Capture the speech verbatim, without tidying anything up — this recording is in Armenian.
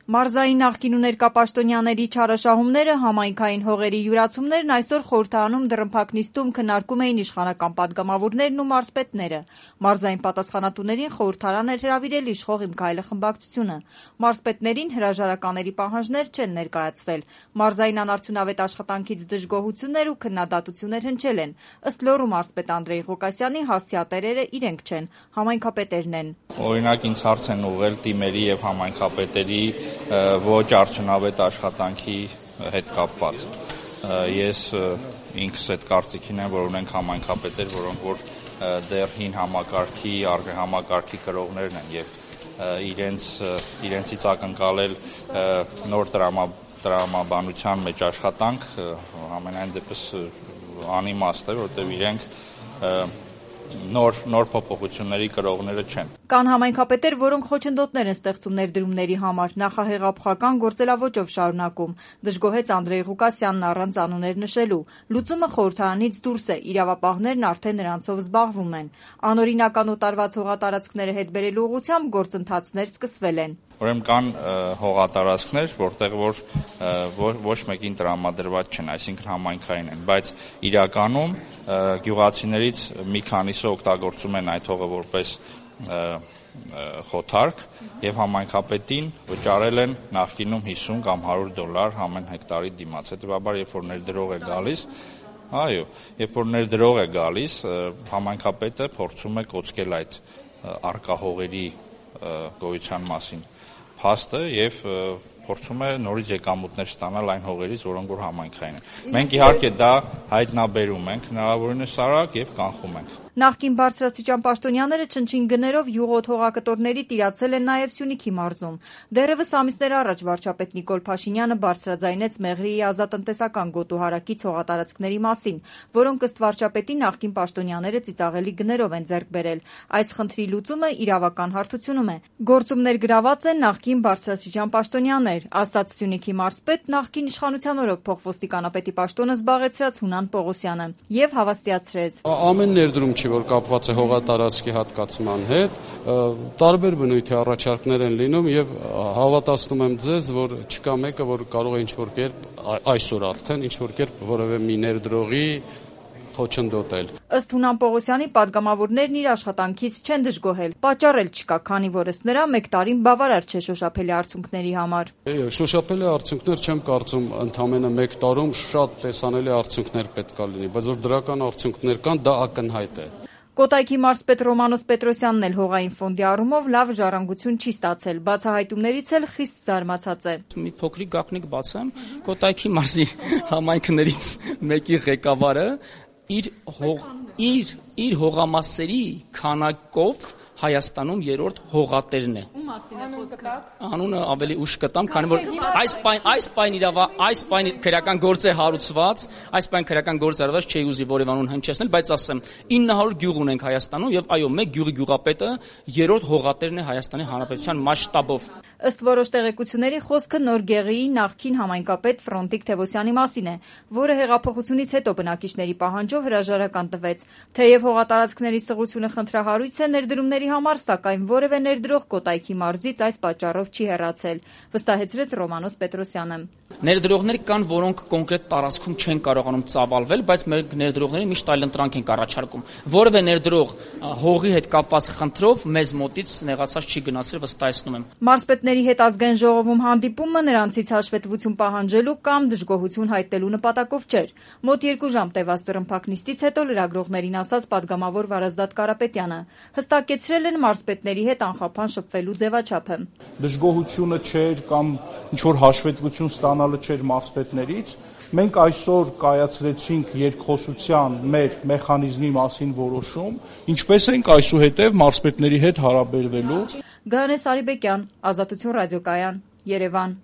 Մարզային նախկին ու ներկա պաշտոնյաների չարաշահումները, համայնքային հողերի յուրացումներն այսօր խորհրդարանում դռնփակ նիստում քննարկում էին իշխանական պատգամավորներն ու մարզպետները։ Մարզային պատասխանատուներին խորհրդարան էր հրավիրել իշխող «Իմ քայլը» խմբակցությունը։ Մարզպետներին հրաժարականների պահանջներ չեն ներկայացվել։ Մարզային անարդյունավետ աշխատանքից դժգոհություններ ու քննադատություններ հնչել են։ Ըստ լոռու մարզպետ Անդրեյ Ղուկասյանի, հասցեատերերը իրենք չեն, համայնքապետերն են։ Օրինակ ինձ հարց են ուղղել թիմերի եւ համայնքապետերի ոչ արդյունավետ աշխատանքի հետ կապված։ Ես ինքս այդ կարծիքին եմ, որ ունենք համայնքապետեր, որոնք որ դեռ հին համակարգի, համակարգի կրողներն են եւ իրենց իրենցից ակնկալել նոր տրամաբանության մեջ աշխատանք ամենայն դեպս անիմաստ է, որտեղ իրենք նոր նոր փոփոխությունների կրողները չեն։ Կան համայնքապետեր, որոնք խոչընդոտներ են ստեղծում ներդրումների համար, նախահեղափոխական գործելավոճով շարունակում, դժգոհեց Անդրեյ Ղուկասյանն առանց անուններ նշելու։ Լուծումը խորհրդարանից դուրս է, իրավապահներն արդեն նրանցով զբաղվում են։ Անօրինական օտարված հողատարածքները հետ բերելու ուղղությամբ գործընթացներ սկսվել են։ Ուրեմն կան հողատարածքներ, որտեղ որ ոչ մեկին տրամադրված չեն, այսինքն համայնքային են, բայց իրականում գյուղացիներից մի քանիսը օգտագործում են այդ հողը որպես խոթարկ եւ համայնքապետին վճարել են նախկինում հիսուն կամ հարյուր դոլար ամեն հեկտարի դիմաց։ Հետեւաբար, երբ որ ներդրող է գալիս, այո, երբ որ ներդրող է գալիս, համայնքապետը փորձում է կոչել այդ առկա հողերի գոյության մասին փաստը եւ փորձում է նորից եկամուտներ ստանալ այն հողերից, որոնք որ համայնքային են։ Մենք իհարկե դա հայտնաբերում ենք հնարավորինս արագ եւ կանխում ենք։ Նախկին բարձրաստիճան պաշտոնյաները չնչին գներով յուղոտ հողակտորների տիրացել են նաև Սյունիքի մարզում։ Դեռևս ամիսներ առաջ վարչապետ Նիկոլ Փաշինյանը բարձրաձայնեց Մեղրիի ազատտնտեսական գոտուհարակից հողատարածքների մասին, որոնք ըստ վարչապետի նախկին պաշտոնյաները ծիծաղելի գներով են ձեռք բերել։ Այս խնդրի լուծումը իրավական հարթությունում է։ Գործումներ գրաված են նախկին բարձրաստիճան պաշտոնյաներ, ասաց Սյունիքի մարզպետ, նախկին իշխանության օրոք փոխոստիկանապետի պաշտոնը զբաղեցրած Հունան Պողոսյանը եւ հավաստիացրեց. Ամեն ներդրում որ կապված է հողատարածքի հատկացման հետ, տարբեր բնույթի առաջարկներ են լինում եւ հավատացնում եմ ձեզ, որ չկա մեկը, որ կարող է ինչ-որ կերպ այսօր արդեն ինչ-որ կերպ որևէ մի ներդրողի խոչընդոտել։ Ըստ Հունան Պողոսյանի, պատգամավորներն իր աշխատանքից չեն դժգոհել, պատճառ էլ չկա, քանի որ ըստ նրա մեկ տարին բավարար չէ շոշափելի արդյունքների համար։ Շոշափելի արդյունքներ չեմ կարծում, ընդամենը մեկ տարում շատ տեսանելի արդյունքներ պետք է լինի, բայց որ դրական արդյունքներ կան, դա ակնհայտ է։ Կոտայքի մարզպետ Ռոմանոս Պետրոսյանն էլ հողային ֆոնդի առումով լավ ժառանգություն չի ստացել, բացահայտումներից էլ խիստ զարմացած է։ Մի փոքրիկ գաղտնիք բացեմ, Կոտայքի մարզի համայնքներից մեկի ղեկավարը իր հող իր իր հողամասերի քանակով Հայաստանում երրորդ հողատերն է։ Ում մասին է խոսքը։ Անունը ավելի ուշ կտամ, քանի որ այս պայն այս պայն իրավա այս պայն քրեական գործ է հարուցված, այս պայն քրեական գործ արված չի ուզի որևէ անուն հնչեցնել, բայց ասեմ ինը հարյուր գյուղ ունենք Հայաստանում եւ այո, մեկ գյուղի գյուղապետը երրորդ հողատերն է Հայաստանի Հանրապետության մասշտաբով։ Ըստ որոշ տեղեկությունների խոսքը Նոր Գեղիի նախկին համայնքապետ Ֆրոնտիկ Թևոսյանի մասին է, որը հեղափոխությունից հետո բնակիչների պահանջով հրաժարական տվեց։ Թեև հողատարածքների սղությունը խնդրահարույց է ներդրումների համար, սակայն որևէ ներդրող Կոտայքի մարզից այս պատճառով չի հեռացել, վստահեցրեց Ռոմանոս Պետրոսյանը։ Ներդրողներ կան, որոնք կոնկրետ տարածքում չեն կարողանում ծավալվել, բայց մեր ներդրողներին միշտ այլընտրանք են առաջարկում։ Որևէ ներդրող հողի հետ կապված խնդրով մեզ մոտից նեղացած չի գնացել, վստահեցնում եմ։ Մարզպետների հետ ազգային ժողովում հանդիպումը նրանցից հաշվետվություն պահանջելու կամ դժգոհություն հայտնելու նպատակով չէր։ Մոտ երկու ժամ տևած դռնփակ նիստից հետո լրագրողներին ասաց պատգամավոր Վարազդատ Կարապետյանը, հստակեցրել են մարզպետների հետ անխափան շփվելու ձևաչափը։ Դժգոհությունը չէր կամ ինչ-որ հաշվետվություն ստանալը չէր մարզպետներից։ Մենք այսօր կայացրեցինք երկխոսության մեր մեխանիզմի մասին որոշում, ինչպես ենք այսուհետև մարզպետների հետ հարաբերվելու։ Գայանե Սարիբեկյան, Ազատություն ռադիոկայան, Երևան։